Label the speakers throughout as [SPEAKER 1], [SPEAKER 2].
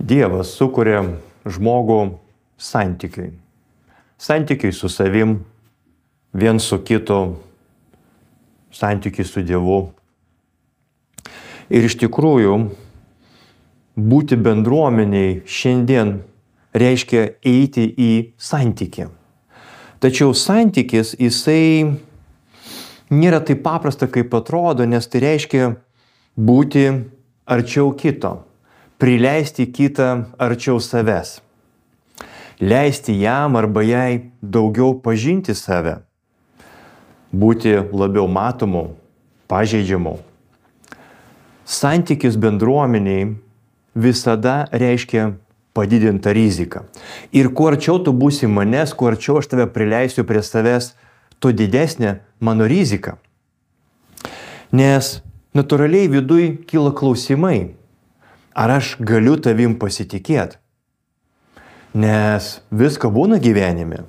[SPEAKER 1] Dievas sukuria žmogų santykiui. Santykiui su savim, vien su kitu, santykiui su Dievu. Ir iš tikrųjų, būti bendruomeniai šiandien reiškia eiti į santykį. Tačiau santykis, jisai nėra taip paprasta, kaip atrodo, nes tai reiškia būti arčiau kito, prileisti kitą arčiau savęs, leisti jam arba jai daugiau pažinti save, būti labiau matomu, pažeidžiamu. Santykis bendruomeniai visada reiškia padidintą riziką. Ir kuo arčiau tu būsi manęs, kuo arčiau aš tave prileisiu prie savęs, tuo didesnė mano rizika. Nes natūraliai viduj kyla klausimai, ar aš galiu tavim pasitikėti. Nes visko būna gyvenime.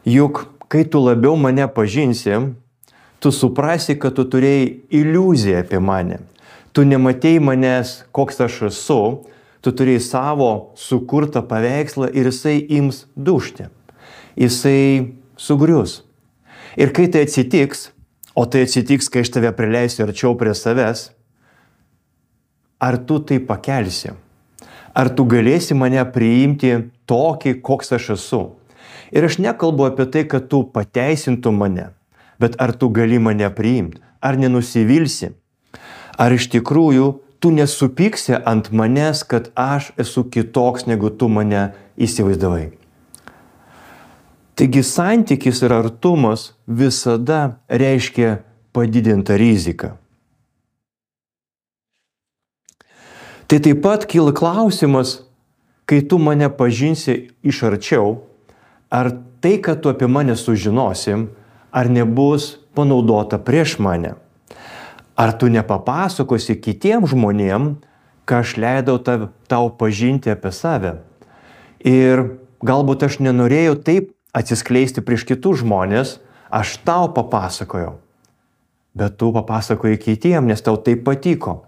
[SPEAKER 1] Juk kai tu labiau mane pažinsi, tu suprasi, kad tu turėjai iliuziją apie mane. Tu nematei manęs, koks aš esu, tu turėjai savo sukurtą paveikslą ir jisai ims dužti. Jisai sugrius. Ir kai tai atsitiks, o tai atsitiks, kai aš tave prileisiu arčiau prie savęs, ar tu tai pakelsi? Ar tu galėsi mane priimti tokį, koks aš esu? Ir aš nekalbu apie tai, kad tu pateisintum mane, bet ar tu gali mane priimti? Ar nenusivilsi? Ar iš tikrųjų tu nesupyksi ant manęs, kad aš esu kitoks, negu tu mane įsivaizdavai? Taigi santykis ir artumas visada reiškia padidintą riziką. Tai taip pat kyla klausimas, kai tu mane pažinsi iš arčiau, ar tai, kad tu apie mane sužinosim, ar nebus panaudota prieš mane? Ar tu nepapasakosi kitiems žmonėm, ką aš leidau tau pažinti apie save? Ir galbūt aš nenorėjau taip atsiskleisti prieš kitus žmonės, aš tau papasakojau. Bet tu papasakojai kitiems, nes tau tai patiko.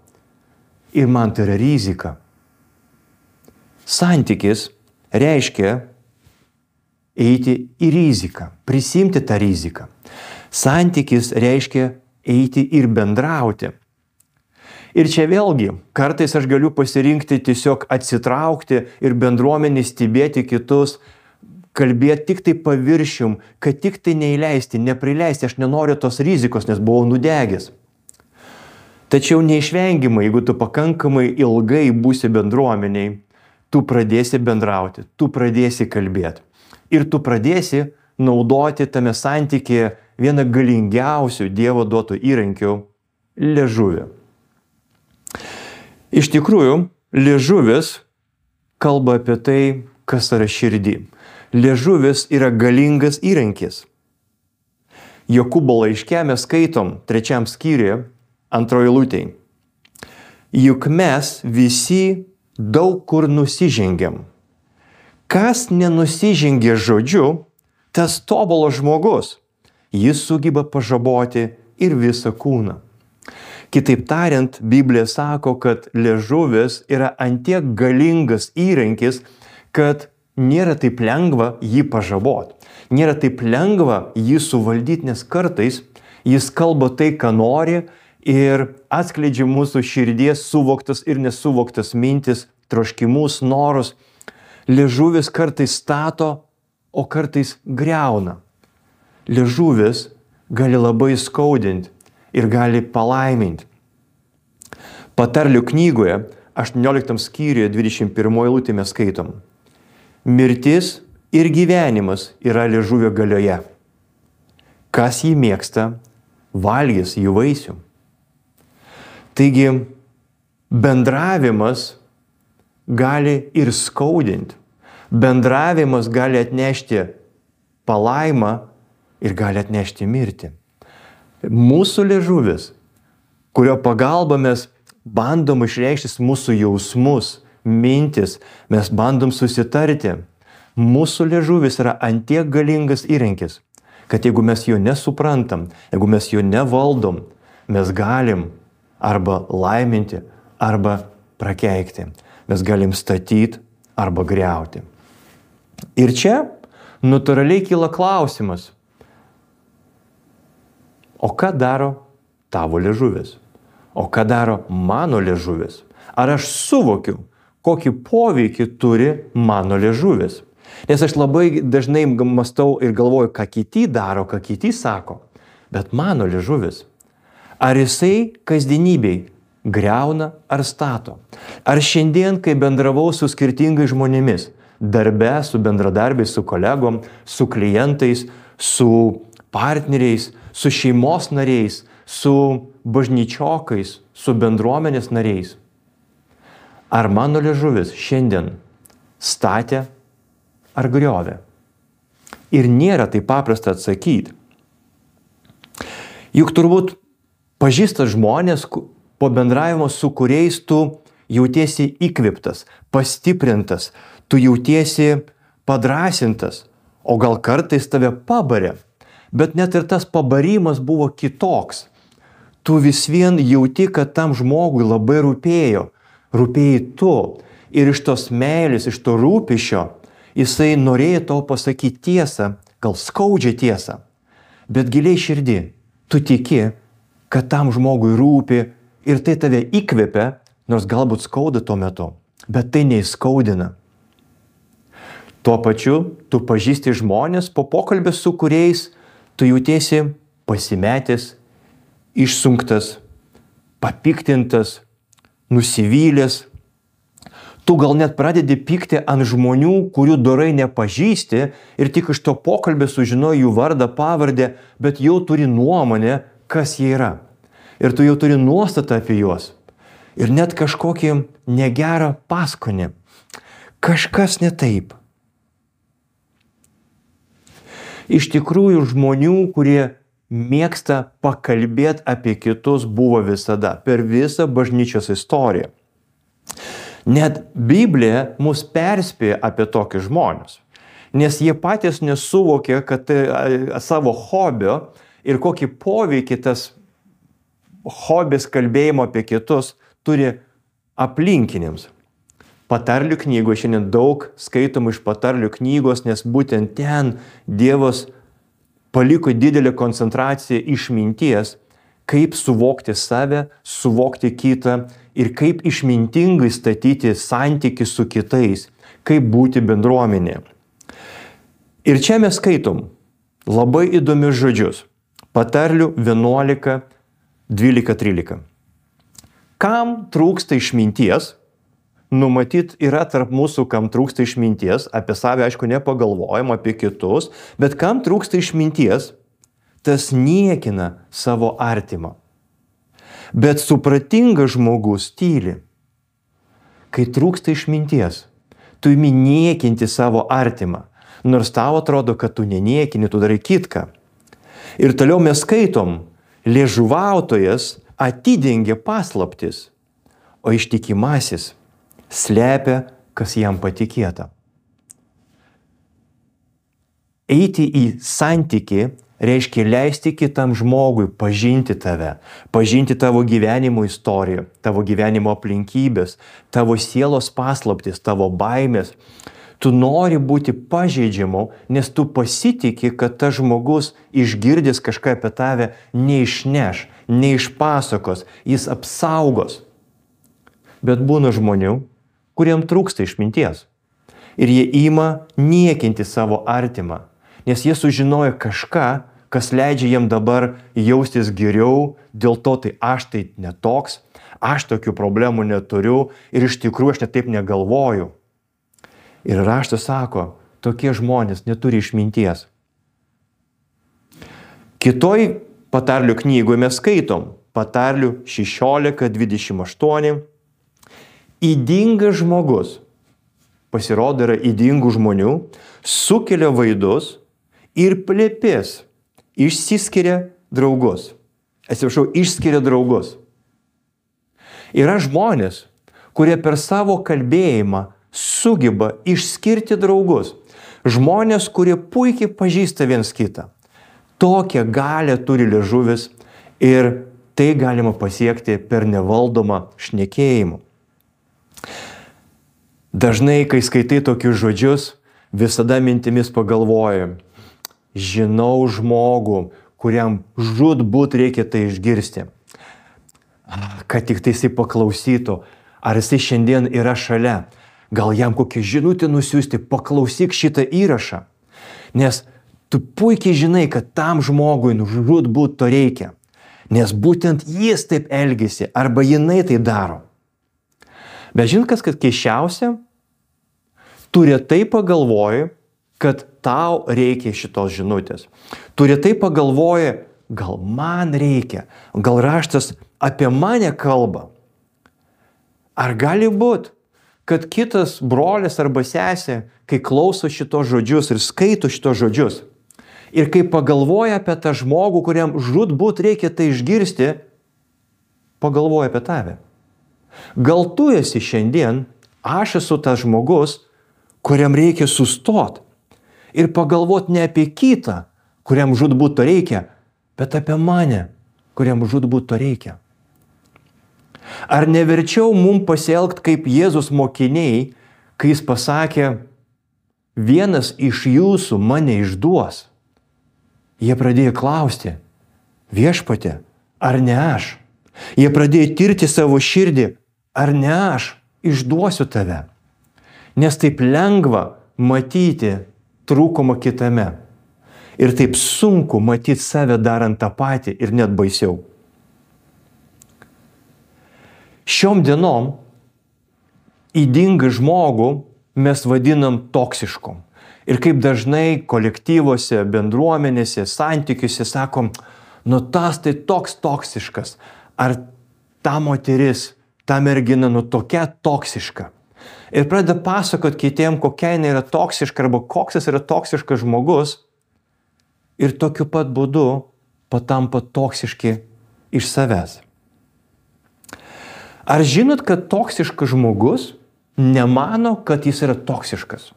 [SPEAKER 1] Ir man tai yra rizika. Santykis reiškia eiti į riziką, prisimti tą riziką. Santykis reiškia eiti ir bendrauti. Ir čia vėlgi, kartais aš galiu pasirinkti tiesiog atsitraukti ir bendruomenį stebėti kitus, kalbėti tik tai paviršium, kad tik tai neįleisti, neprileisti, aš nenoriu tos rizikos, nes buvau nudegęs. Tačiau neišvengiamai, jeigu tu pakankamai ilgai būsi bendruomeniai, tu pradėsi bendrauti, tu pradėsi kalbėti. Ir tu pradėsi naudoti tame santykėje vieną galingiausių Dievo duotų įrankių – liežuvį. Iš tikrųjų, liežuvis kalba apie tai, kas yra širdį. Liežuvis yra galingas įrankis. Jokūbo laiške mes skaitom 3 skyriuje, 2 eilutėj. Juk mes visi daug kur nusižengiam. Kas nenusižengia žodžiu, tas tobulas žmogus. Jis sugeba pažaboti ir visą kūną. Kitaip tariant, Biblija sako, kad liežuvis yra antiek galingas įrankis, kad nėra taip lengva jį pažaboti. Nėra taip lengva jį suvaldyti, nes kartais jis kalba tai, ką nori ir atskleidžia mūsų širdies suvoktas ir nesuvoktas mintis, troškimus, norus. Liežuvis kartais stato, o kartais griauna. Liežuvis gali labai skaudinti ir gali palaiminti. Patarlių knygoje 18 skyriuje 21 eilutė mes skaitom. Mirtis ir gyvenimas yra liežuvio galioje. Kas jį mėgsta, valgys jų vaisių. Taigi, bendravimas gali ir skaudinti. Bendravimas gali atnešti palaimą ir gali atnešti mirtį. Mūsų liežuvis, kurio pagalba mes bandom išreikšti mūsų jausmus, mintis, mes bandom susitarti. Mūsų liežuvis yra antiek galingas įrankis, kad jeigu mes jo nesuprantam, jeigu mes jo nevaldom, mes galim arba laiminti, arba prakeikti. Mes galim statyti arba griauti. Ir čia natūraliai kyla klausimas, o ką daro tavo liežuvis? O ką daro mano liežuvis? Ar aš suvokiu, kokį poveikį turi mano liežuvis? Nes aš labai dažnai mąstau ir galvoju, ką kiti daro, ką kiti sako. Bet mano liežuvis, ar jisai kasdienybei griauna ar stato? Ar šiandien, kai bendravau su skirtingais žmonėmis, darbe, su bendradarbiais, su kolegom, su klientais, su partneriais, su šeimos nariais, su bažnyčiokais, su bendruomenės nariais, ar mano liežuvis šiandien statė ar griovė? Ir nėra taip paprasta atsakyti. Juk turbūt pažįstas žmonės, po bendravimo su kuriais tu jautiesi įkvėptas, pastiprintas, tu jautiesi padrasintas, o gal kartais tave pabarė, bet net ir tas pabarimas buvo kitoks. Tu vis vien jauti, kad tam žmogui labai rūpėjai tu. Ir iš tos meilės, iš to rūpesčio, jisai norėjo tau pasakyti tiesą, gal skaudžią tiesą, bet giliai širdį tu tiki, kad tam žmogui rūpi ir tai tave įkvepia, nors galbūt skauda tuo metu, bet tai neįskaudina. Tuo pačiu tu pažįsti žmonės, po pokalbio su kuriais tu jautiesi pasimetęs, išsunktas, papiktintas, nusivylęs. Tu gal net pradedi pykti ant žmonių, kurių dorai nepažįsti ir tik iš to pokalbio sužinoji jų vardą, pavardę, bet jau turi nuomonę, kas jie yra. Ir tu jau turi nuostatą apie juos. Ir net kažkokį negerą paskonį. Kažkas ne taip. Iš tikrųjų žmonių, kurie mėgsta pakalbėti apie kitus, buvo visada, per visą bažnyčios istoriją. Net Biblija mus perspėja apie tokius žmonės, nes jie patys nesuvokė, kad savo hobio ir kokį poveikį tas hobis kalbėjimo apie kitus turi aplinkiniams. Patarlių knygoje šiandien daug skaitomų iš patarlių knygos, nes būtent ten Dievas paliko didelę koncentraciją išminties, kaip suvokti save, suvokti kitą ir kaip išmintingai statyti santykį su kitais, kaip būti bendruomenė. Ir čia mes skaitom labai įdomius žodžius. Patarlių 11, 12, 13. Kam trūksta išminties? Numatyt yra tarp mūsų, kam trūksta išminties, apie save aišku nepagalvojam, apie kitus, bet kam trūksta išminties, tas niekina savo artimą. Bet supratingas žmogus tyli. Kai trūksta išminties, tu imi niekinti savo artimą, nors tau atrodo, kad tu neniekini, tu darai kitką. Ir toliau mes skaitom, liežuvautojas atidengia paslaptis, o ištikimasis slepia, kas jam patikėta. Eiti į santykį reiškia leisti kitam žmogui pažinti tave, pažinti tavo gyvenimo istoriją, tavo gyvenimo aplinkybės, tavo sielos paslaptis, tavo baimės. Tu nori būti pažeidžiamu, nes tu pasitiki, kad tas žmogus išgirdęs kažką apie tave neišneš, neišpasakos, jis apsaugos. Bet būna žmonių, kuriem trūksta išminties. Ir jie ima niekinti savo artimą, nes jie sužinoja kažką, kas leidžia jiem dabar jaustis geriau, dėl to tai aš tai netoks, aš tokių problemų neturiu ir iš tikrųjų aš net taip negalvoju. Ir raštas sako, tokie žmonės neturi išminties. Kitoj patarlių knygoje mes skaitom, patarlių 16, 28. Ydingas žmogus, pasirodo yra ydingų žmonių, sukelia vaidus ir plėpės, išsiskiria draugus. Išskiria draugus. Yra žmonės, kurie per savo kalbėjimą sugeba išskirti draugus. Žmonės, kurie puikiai pažįsta viens kitą. Tokią galią turi liežuvis ir tai galima pasiekti per nevaldomą šnekėjimą. Dažnai, kai skaitai tokius žodžius, visada mintimis pagalvoji, žinau žmogų, kuriam žūtbūt reikia tai išgirsti. Kad tik tai jisai paklausytų, ar jisai šiandien yra šalia. Gal jam kokią žinutę nusiųsti, paklausyk šitą įrašą. Nes tu puikiai žinai, kad tam žmogui žūtbūt to reikia. Nes būtent jis taip elgesi, arba jinai tai daro. Bet žinot, kas keiščiausia? Tu retai pagalvoji, kad tau reikia šitos žinutės. Tu retai pagalvoji, gal man reikia, gal raštas apie mane kalba. Ar gali būt, kad kitas brolis arba sesė, kai klauso šitos žodžius ir skaito šitos žodžius, ir kai pagalvoja apie tą žmogų, kuriam žūtbūt reikia tai išgirsti, pagalvoja apie tave. Gal tu esi šiandien, aš esu tas žmogus, kuriam reikia sustot ir pagalvot ne apie kitą, kuriam žūtbūt to reikia, bet apie mane, kuriam žūtbūt to reikia. Ar neverčiau mum pasielgt kaip Jėzus mokiniai, kai jis pasakė, vienas iš jūsų mane išduos? Jie pradėjo klausti, viešpatie, ar ne aš? Jie pradėjo tirti savo širdį, ar ne aš išduosiu tave? Nes taip lengva matyti trūkumą kitame. Ir taip sunku matyti save darant tą patį ir net baisiau. Šiom dienom ydingą žmogų mes vadinam toksišku. Ir kaip dažnai kolektyvuose, bendruomenėse, santykiuose sakom, nu tas tai toks toksiškas. Ar ta moteris, ta mergina, nu tokia toksiška. Ir pradeda pasakot kitiem, kokia jinai yra toksiška arba koks jis yra toksiškas žmogus. Ir tokiu pat būdu patampa toksiški iš savęs. Ar žinot, kad toksiškas žmogus nemano, kad jis yra toksiškas?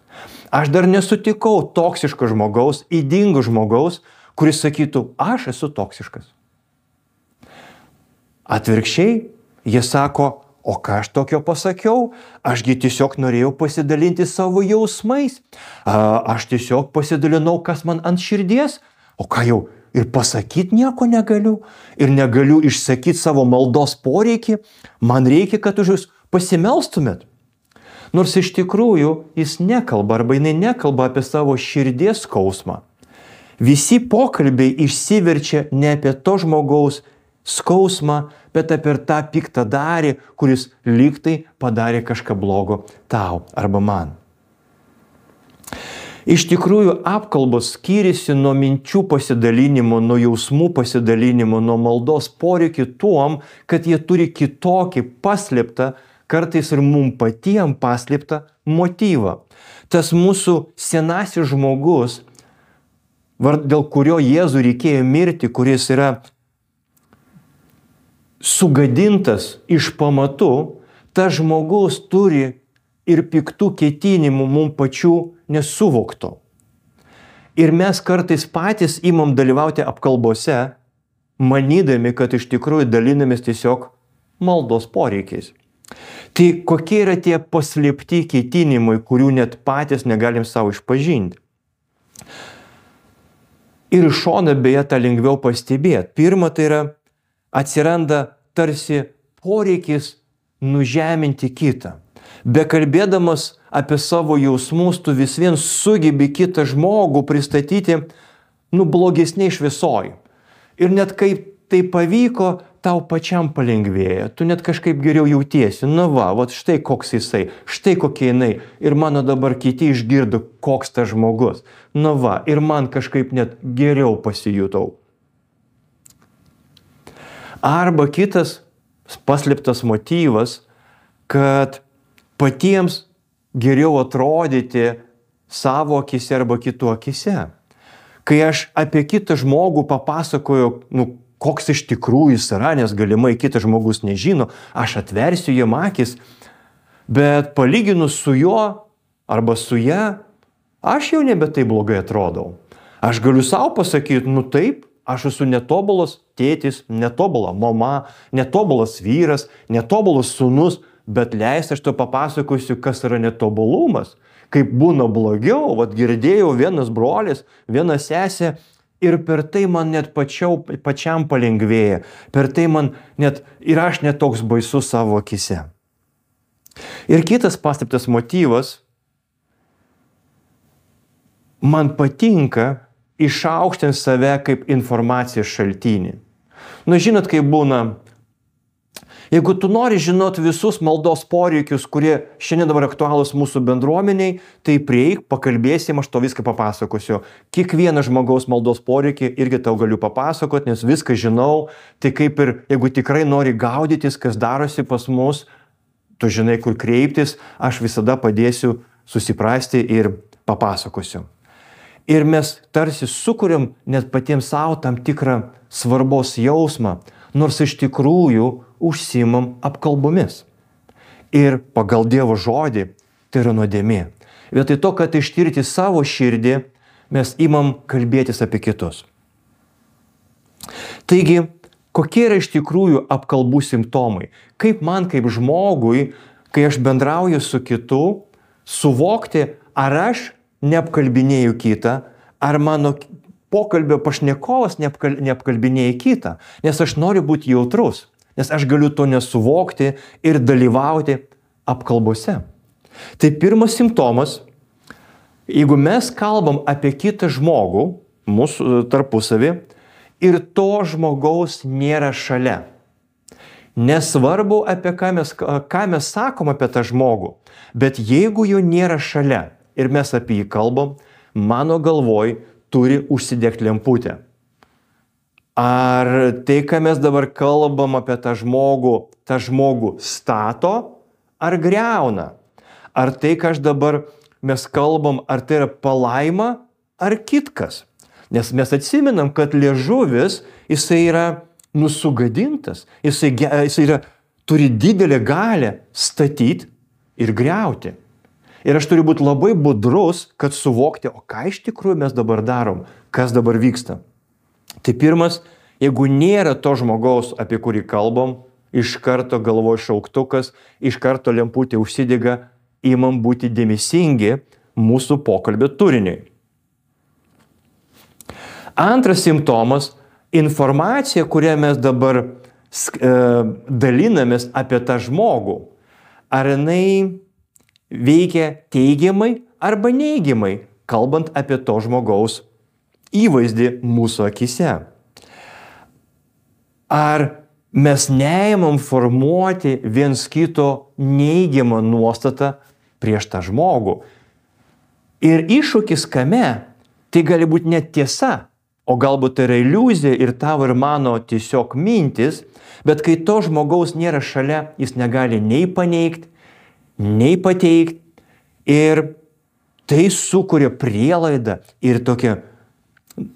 [SPEAKER 1] Aš dar nesutikau toksiško žmogaus, ydingo žmogaus, kuris sakytų, aš esu toksiškas. Atvirkščiai, jie sako, o ką aš tokio pasakiau? Ašgi tiesiog norėjau pasidalinti savo jausmais. Aš tiesiog pasidalinau, kas man ant širdies. O ką jau, ir pasakyti nieko negaliu. Ir negaliu išsakyti savo maldos poreikį. Man reikia, kad už jūs pasimelstumėt. Nors iš tikrųjų jis nekalba arba jinai nekalba apie savo širdies skausmą. Visi pokalbiai išsiverčia ne apie to žmogaus skausmą, bet apie tą piktadarį, kuris lygtai padarė kažką blogo tau arba man. Iš tikrųjų, apkalbos skiriasi nuo minčių pasidalinimo, nuo jausmų pasidalinimo, nuo maldos poreikį tuom, kad jie turi kitokį paslėptą, kartais ir mum patiem paslėptą motyvą. Tas mūsų senasis žmogus, dėl kurio Jėzui reikėjo mirti, kuris yra sugadintas iš pamatų, tas žmogus turi ir piktų ketinimų mum pačių nesuvokto. Ir mes kartais patys imam dalyvauti apkalbose, manydami, kad iš tikrųjų dalinamės tiesiog maldos poreikiais. Tai kokie yra tie paslėpti ketinimai, kurių net patys negalim savo išpažinti? Ir iš šono beje tą lengviau pastebėti. Pirma, tai yra atsiranda tarsi poreikis nužeminti kitą. Bekalbėdamas apie savo jausmus, tu vis vien sugebi kitą žmogų pristatyti, blogesniai šviesoj. Ir net kaip tai pavyko, tau pačiam palengvėja. Tu net kažkaip geriau jautiesi. Štai koks jisai, štai kokia jinai. Ir mano dabar kiti išgirdo, koks tas žmogus. Ir man kažkaip net geriau pasijutau. Arba kitas paslėptas motyvas, kad patiems geriau atrodyti savo akise arba kitų akise. Kai aš apie kitą žmogų papasakoju, koks iš tikrųjų jis yra, nes galimai kitas žmogus nežino, aš atversiu jam akis, bet palyginus su juo arba su ja, aš jau nebe taip blogai atrodau. Aš galiu savo pasakyti, taip, aš esu netobulas tėtis, netobula mama, netobulas vyras, netobulas sūnus, bet leis aš to papasakosiu, kas yra netobulumas, kaip būna blogiau. Vat girdėjau vienas brolis, viena sesė ir per tai man net pačiam palengvėja. Per tai man net ir aš net toks baisus savo akise. Ir kitas paslėptas motyvas, man patinka išaukštinti save kaip informacijos šaltinį. Nu, žinot, kaip būna, jeigu tu nori žinoti visus maldos poreikius, kurie šiandien dabar aktualūs mūsų bendruomeniai, tai prieik, pakalbėsim, aš to viską papasakosiu. Kiekvieną žmogaus maldos poreikį irgi tau galiu papasakoti, nes viską žinau. Tai kaip ir, jeigu tikrai nori gaudytis, kas darosi pas mus, tu žinai, kur kreiptis, aš visada padėsiu susiprasti ir papasakosiu. Ir mes tarsi sukuriam net patiems savo tam tikrą svarbos jausmą, nors iš tikrųjų užsiimam apkalbomis. Ir pagal Dievo žodį tai yra nuodėmė. Vietoj to, kad ištirti savo širdį, mes imam kalbėtis apie kitus. Taigi, kokie yra iš tikrųjų apkalbų simptomai? Kaip man, kaip žmogui, kai aš bendrauju su kitu, suvokti, ar aš neapkalbinėjau kitą, ar mano pokalbio pašnekovas neapkalbinėja kitą, nes aš noriu būti jautrus, nes aš galiu to nesuvokti ir dalyvauti apkalbose. Tai pirmas simptomas, jeigu mes kalbam apie kitą žmogų, mūsų tarpusavį, ir to žmogaus nėra šalia. Nesvarbu, apie ką mes sakom apie tą žmogų, bet jeigu jo nėra šalia, ir mes apie jį kalbam, mano galvoj turi užsidegti lemputę. Ar tai, ką mes dabar kalbam apie tą žmogų stato ar griauna? Ar tai, ką mes kalbam, ar tai yra palaima ar kitkas? Nes mes atsimenam, kad liežuvis, jisai yra nusugadintas, jisai turi didelę galią statyti ir griauti. Ir aš turiu būti labai budrus, kad suvokti, o ką iš tikrųjų mes dabar darom, kas dabar vyksta. Tai pirmas, jeigu nėra to žmogaus, apie kurį kalbam, iš karto galvoj šauktukas, iš karto lemputė užsidega, imam būti dėmesingi mūsų pokalbio turiniui. Antras simptomas, informacija, kurią mes dabar dalinamės apie tą žmogų, ar jinai veikia teigiamai arba neigiamai, kalbant apie to žmogaus įvaizdį mūsų akise. Ar mes neimam formuoti viens kito neigiamą nuostatą prieš tą žmogų. Ir iššūkis kame, tai gali būti net tiesa, o galbūt tai yra iliuzija ir tavo ir mano tiesiog mintis, bet kai to žmogaus nėra šalia, jis negali nei paneigti, nei pateikti, ir tai sukuria prielaidą ir tokią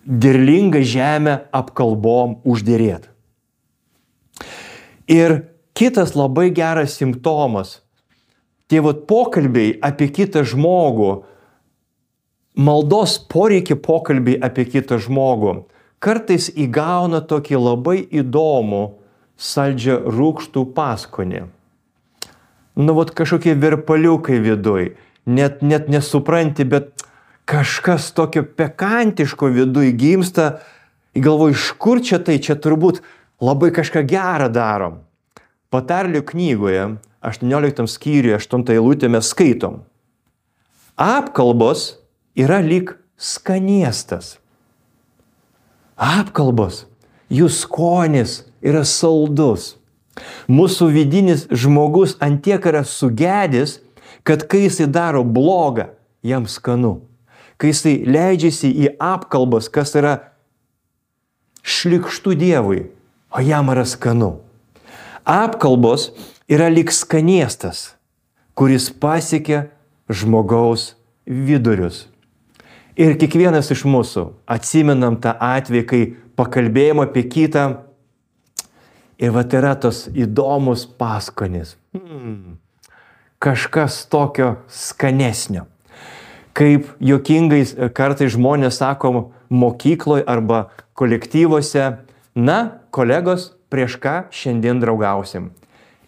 [SPEAKER 1] derlingą žemę apkalbom uždėrėt. Ir kitas labai geras simptomas, tie pokalbiai apie kitą žmogų, maldos poreikį pokalbiai apie kitą žmogų, kartais įgauna tokį labai įdomų saldžią rūgštų paskonį. Nu, kažkokie virpaliukai viduj, net nesupranti, bet kažkas tokio pekantiško viduj gimsta, galvoju, iš kur čia tai, čia turbūt labai kažką gerą darom. Patarlių knygoje, 18 skyriuje, 8 eilutė mes skaitom. Apkalbos yra lyg skaniestas. Apkalbos, jų skonis yra saldus. Mūsų vidinis žmogus antiek yra sugedęs, kad kai jisai daro blogą, jam skanu. Kai jisai leidžiasi į apkalbas, kas yra šlykštu Dievui, o jam yra skanu. Apkalbos yra lyg skaniestas, kuris pasiekia žmogaus vidurius. Ir kiekvienas iš mūsų atsimenam tą atvejį, kai pakalbėjom apie kitą, ir yra tos įdomus paskonis. Kažkas tokio skanesnio. Kaip juokingais kartais žmonės sako mokykloje arba kolektyvuose, na, kolegos, prieš ką šiandien draugausim.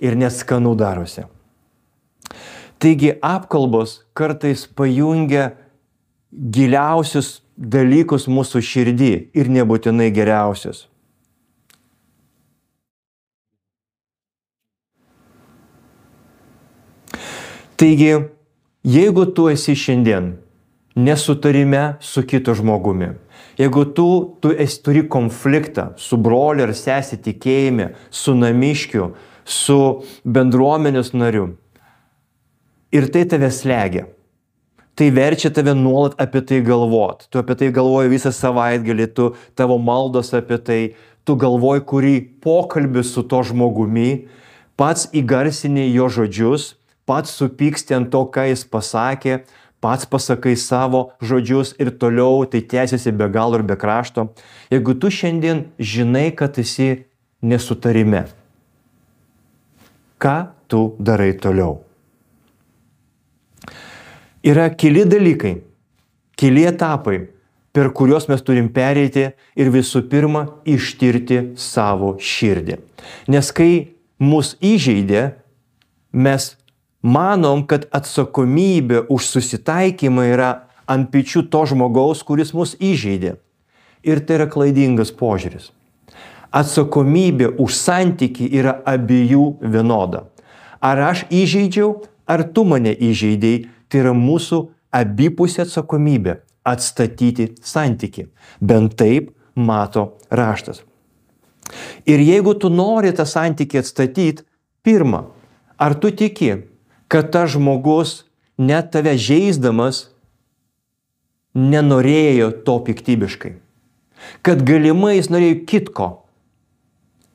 [SPEAKER 1] Ir net skanu darosi. Taigi apkalbos kartais pajungia giliausius dalykus mūsų širdį ir nebūtinai geriausius. Taigi, jeigu tu esi šiandien nesutarime su kitu žmogumi, jeigu tu turi konfliktą su broliu ar sesė tikėjime, su namiškiu, su bendruomenės nariu, ir tai tave slegia, tai verčia tave nuolat apie tai galvot. Tu apie tai galvoji visą savaitgalį, tavo maldos apie tai, tu galvoji, kurį pokalbį su to žmogumi, pats įgarsini jo žodžius, pats supyksti ant to, ką jis pasakė, pats pasakai savo žodžius ir toliau tai tęsiasi be galo ir be krašto. Jeigu tu šiandien žinai, kad esi nesutarime, ką tu darai toliau? Yra keli dalykai, keli etapai, per kuriuos mes turim pereiti ir visų pirma ištirti savo širdį. Nes kai mus įžeidė, mes manom, kad atsakomybė už susitaikymą yra ant pečių to žmogaus, kuris mus įžeidė. Ir tai yra klaidingas požiūris. Atsakomybė už santykį yra abiejų vienoda. Ar aš įžeidžiau, ar tu mane įžeidėjai, tai yra mūsų abipusė atsakomybė atstatyti santykį. Bent taip mato raštas. Ir jeigu tu nori tą santykį atstatyti, pirma, ar tu tiki, kad tas žmogus net tave žeisdamas nenorėjo to piktybiškai. Kad galimai jis norėjo kitko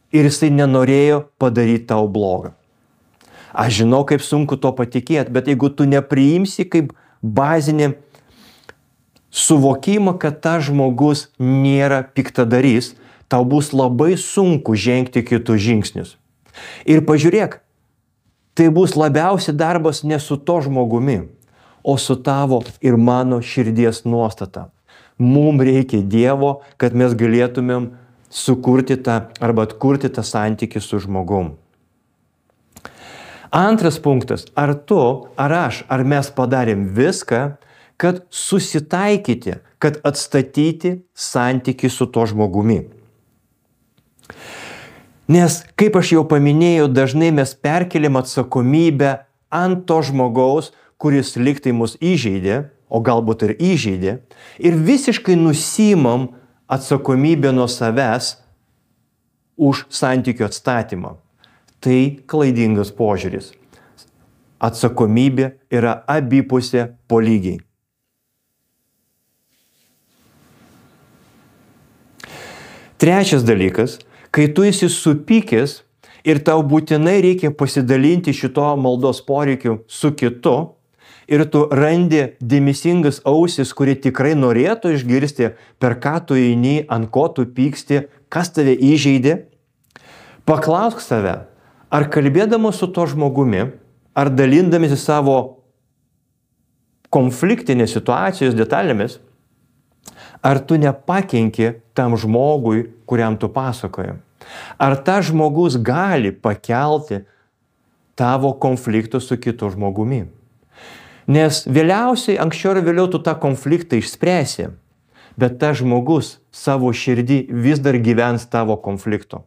[SPEAKER 1] ir jisai nenorėjo padaryti tau blogą. Aš žinau, kaip sunku to patikėti, bet jeigu tu nepriimsi kaip bazinį suvokimą, kad tas žmogus nėra piktadarys, tau bus labai sunku žengti kitus žingsnius. Ir pažiūrėk, tai bus labiausiai darbas ne su to žmogumi, o su tavo ir mano širdies nuostata. Mums reikia Dievo, kad mes galėtumėm sukurti tą arba atkurti tą santykį su žmogum. Antras punktas, ar tu, ar aš, ar mes padarėm viską, kad susitaikyti, kad atstatyti santykį su to žmogumi. Nes, kaip aš jau paminėjau, dažnai mes perkeliam atsakomybę ant to žmogaus, kuris liktai mus įžeidė, o galbūt ir įžeidė, ir visiškai nusimam atsakomybę nuo savęs už santykių atstatymą. Tai klaidingas požiūris. Atsakomybė yra abipusė po lygiai. Trečias dalykas, kai tu esi supykęs ir tau būtinai reikia pasidalinti šito maldos poreikiu su kitu ir tu randi dėmesingas ausis, kurie tikrai norėtų išgirsti, per ką tu eini, ant ko tu pyksti, kas tave įžeidė, paklausk save, ar kalbėdamas su to žmogumi, ar dalindamėsi savo konfliktinės situacijos detalėmis, ar tu nepakenki tam žmogui, kuriam tu pasakoji. Ar tas žmogus gali pakelti tavo konflikto su kitu žmogumi. Nes vėliausiai, anksčiau ir vėliau tu tą konfliktą išspręsi, bet tas žmogus savo širdį vis dar gyvens tavo konflikto.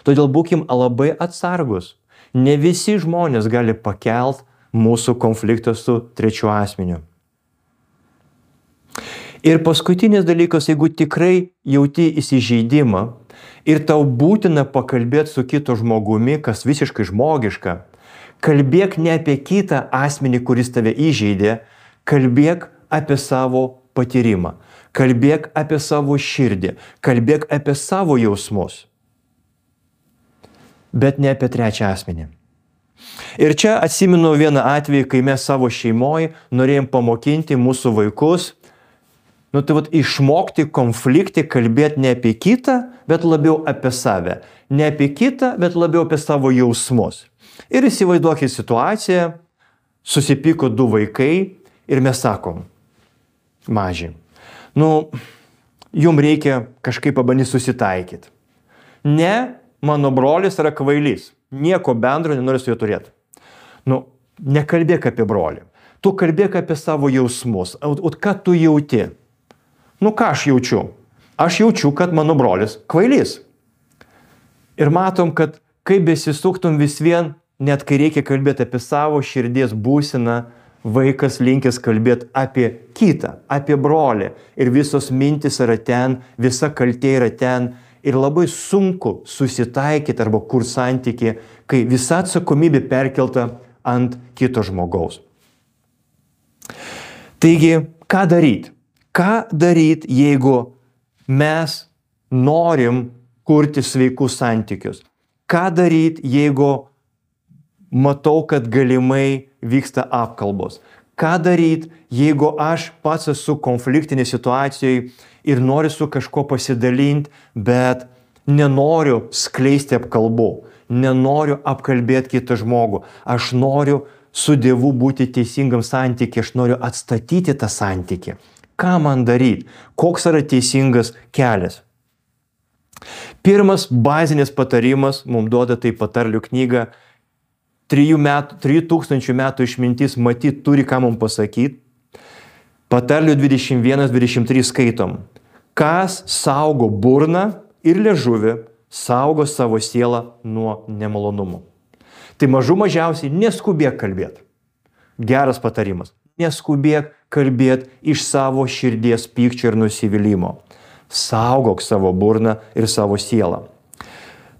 [SPEAKER 1] Todėl būkim labai atsargus. Ne visi žmonės gali pakelt mūsų konfliktą su trečiu asmeniu. Ir paskutinis dalykas, jeigu tikrai jauti įsižeidimą ir tau būtina pakalbėti su kitu žmogumi, kas visiškai žmogiška, kalbėk ne apie kitą asmenį, kuris tave įžeidė, kalbėk apie savo patyrimą, kalbėk apie savo širdį, kalbėk apie savo jausmus, bet ne apie trečią asmenį. Ir čia atsimenu vieną atvejį, kai mes savo šeimoje norėjom pamokinti mūsų vaikus, išmokti konfliktį, kalbėti ne apie kitą, bet labiau apie save. Ne apie kitą, bet labiau apie savo jausmus. Ir įsivaizduokit situaciją, susipyko du vaikai ir mes sakom, maži, jums reikia kažkaip pabandyti susitaikyti. Ne, mano brolis yra kvailys, nieko bendro nenori su juo turėti. nekalbėk apie brolį. Tu kalbėk apie savo jausmus. O ką tu jauti? Nu ką aš jaučiu? Aš jaučiu, kad mano brolis kvailys. Ir matom, kad kaip besisuktum vis vien, net kai reikia kalbėti apie savo širdies būseną, vaikas linkęs kalbėti apie kitą, apie brolį. Ir visos mintis yra ten, visa kaltė yra ten. Ir labai sunku susitaikyti arba kur santyki, kai visa atsakomybė perkelta ant kito žmogaus. Taigi, ką daryti? Ką daryti, jeigu mes norim kurti sveikus santykius? Ką daryti, jeigu matau, kad galimai vyksta apkalbos? Ką daryti, jeigu aš pats esu konfliktinėje situacijoje ir noriu su kažko pasidalinti, bet nenoriu skleisti apkalbų, nenoriu apkalbėti kitą žmogų. Aš noriu su Dievu būti teisingam santykiui, aš noriu atstatyti tą santykį. Ką man daryti? Koks yra teisingas kelias? Pirmas bazinis patarimas mums duoda tai patarlių knyga. 3000 metų išmintis matyt turi ką mums pasakyti. Patarlių 21-23 skaitom. Kas saugo burną ir liežuvį, saugo savo sielą nuo nemalonumų. Tai mažiausiai neskubėk kalbėti. Geras patarimas. Neskubėk kalbėti iš savo širdies pykčio ir nusivylimų. Saugok savo burną ir savo sielą.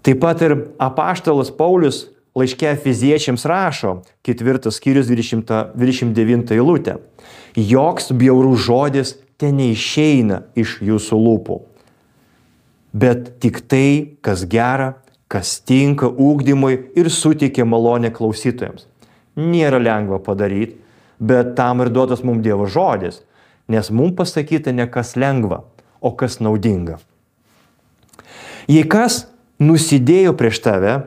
[SPEAKER 1] Taip pat ir apaštalas Paulius laiške Efeziečiams rašo, 4 skyrius 29 eilutė. Joks bjaurus žodis ten neišeina iš jūsų lūpų, bet tik tai, kas gera, kas tinka ugdymui ir suteikia malonę klausytojams. Nėra lengva padaryti, bet tam ir duotas mums Dievo žodis, nes mums pasakyta ne kas lengva, o kas naudinga. Jei kas nusidėjo prieš tave,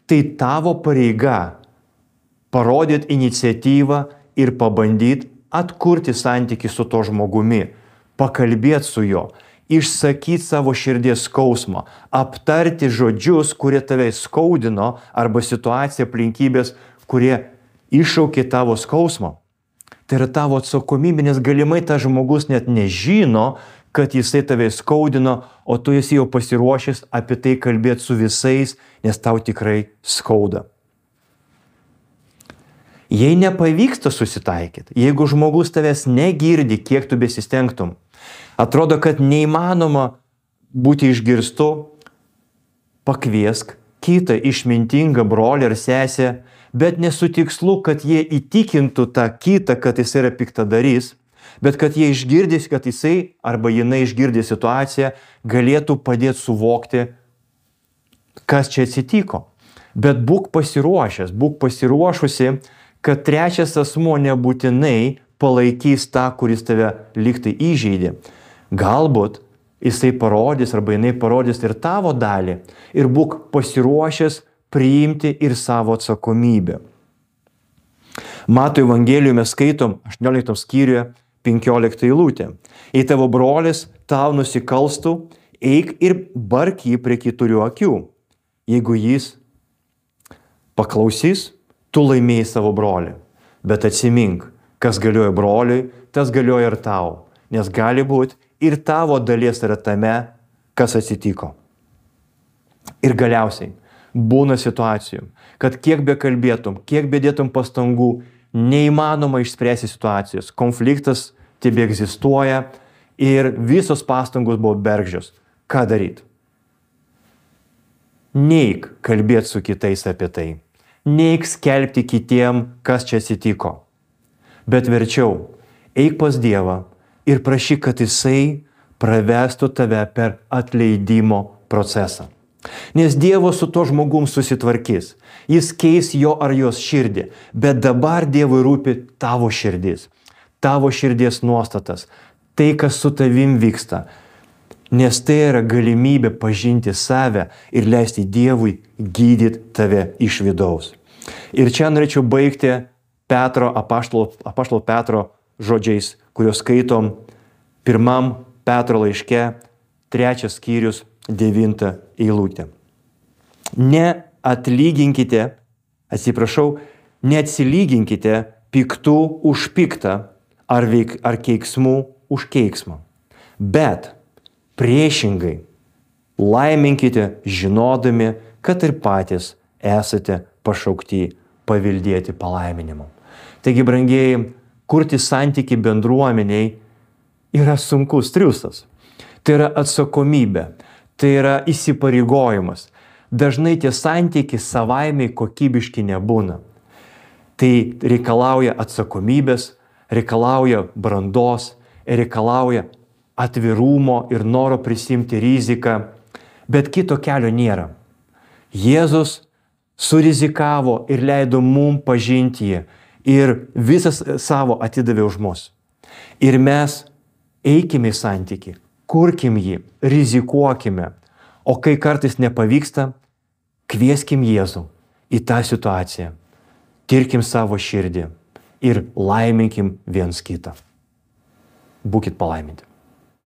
[SPEAKER 1] tai tavo pareiga parodyti iniciatyvą ir pabandyti atkurti santykį su to žmogumi, pakalbėti su juo, išsakyti savo širdies skausmą, aptarti žodžius, kurie tave skaudino, arba situaciją, aplinkybės, kurie iššaukė tavo skausmą. Tai yra tavo atsakomybė, nes galimai tas žmogus net nežino, kad jisai tave skaudino, o tu esi jau pasiruošęs apie tai kalbėti su visais, nes tau tikrai skauda. Jei nepavyksta susitaikyti, jeigu žmogus tavęs negirdi, kiek tu besistengtum, atrodo, kad neįmanoma būti išgirstu, pakviesk kitą išmintingą brolį ar sesę, bet nesu tikslu, kad jie įtikintų tą kitą, kad jis yra piktadarys, bet kad jie išgirdys, kad jisai arba jinai išgirdė situaciją, galėtų padėti suvokti, kas čia atsitiko. Bet būk pasiruošęs, būk pasiruošusi, kad trečias asmuo nebūtinai palaikys tą, kuris tave lygtai įžeidė. Galbūt jisai parodys arba jinai parodys ir tavo dalį ir būk pasiruošęs priimti ir savo atsakomybę. Mato Evangelijoje mes skaitom 18 skyriuje 15 eilutė. Jei tavo brolis tau nusikalstų, eik ir bark jį prie keturių akių. Jeigu jis paklausys, tu laimėjai savo brolį. Bet atsimink, kas galioja broliui, tas galioja ir tau. Nes gali būti ir tavo dalies yra tame, kas atsitiko. Ir galiausiai būna situacijų, kad kiek be kalbėtum, kiek be dėtum pastangų, neįmanoma išspręsti situacijos. Konfliktas tebe egzistuoja ir visos pastangos buvo bergždžios. Ką daryti? Neik kalbėti su kitais apie tai. Neik skelbti kitiem, kas čia atsitiko. Bet verčiau, eik pas Dievą ir prašyk, kad jisai pravestų tave per atleidimo procesą. Nes Dievas su to žmogum susitvarkys. Jis keis jo ar jos širdį. Bet dabar Dievui rūpi tavo širdis. Tavo širdies nuostatas. Tai, kas su tavim vyksta. Nes tai yra galimybė pažinti save ir leisti Dievui gydyti tave iš vidaus. Ir čia norėčiau baigti apaštalo Petro žodžiais, kuriuos skaitom 1 Petro laiške, 3 skyrius, 9 eilutė. neatsilyginkite piktų už piktą ar keiksmų už keiksmą. Bet priešingai laiminkite žinodami, kad ir patys esate pašaukti paveldėti palaiminimą. Taigi, brangieji, kurti santyki bendruomeniai yra sunkus triūsas. Tai yra atsakomybė, tai yra įsipareigojimas. Dažnai tie santykiai savaime kokybiški nebūna. Tai reikalauja atsakomybės, reikalauja brandos, reikalauja atvirumo ir noro prisimti riziką, bet kito kelio nėra. Jėzus surizikavo ir leido mum pažinti jį ir visas savo atidavė už mus. Ir mes eikime į santykį, kurkim jį, rizikuokime, o kai kartais nepavyksta, kvieskim Jėzų į tą situaciją, tirkim savo širdį ir laiminkim viens kitą. Būkit palaiminti.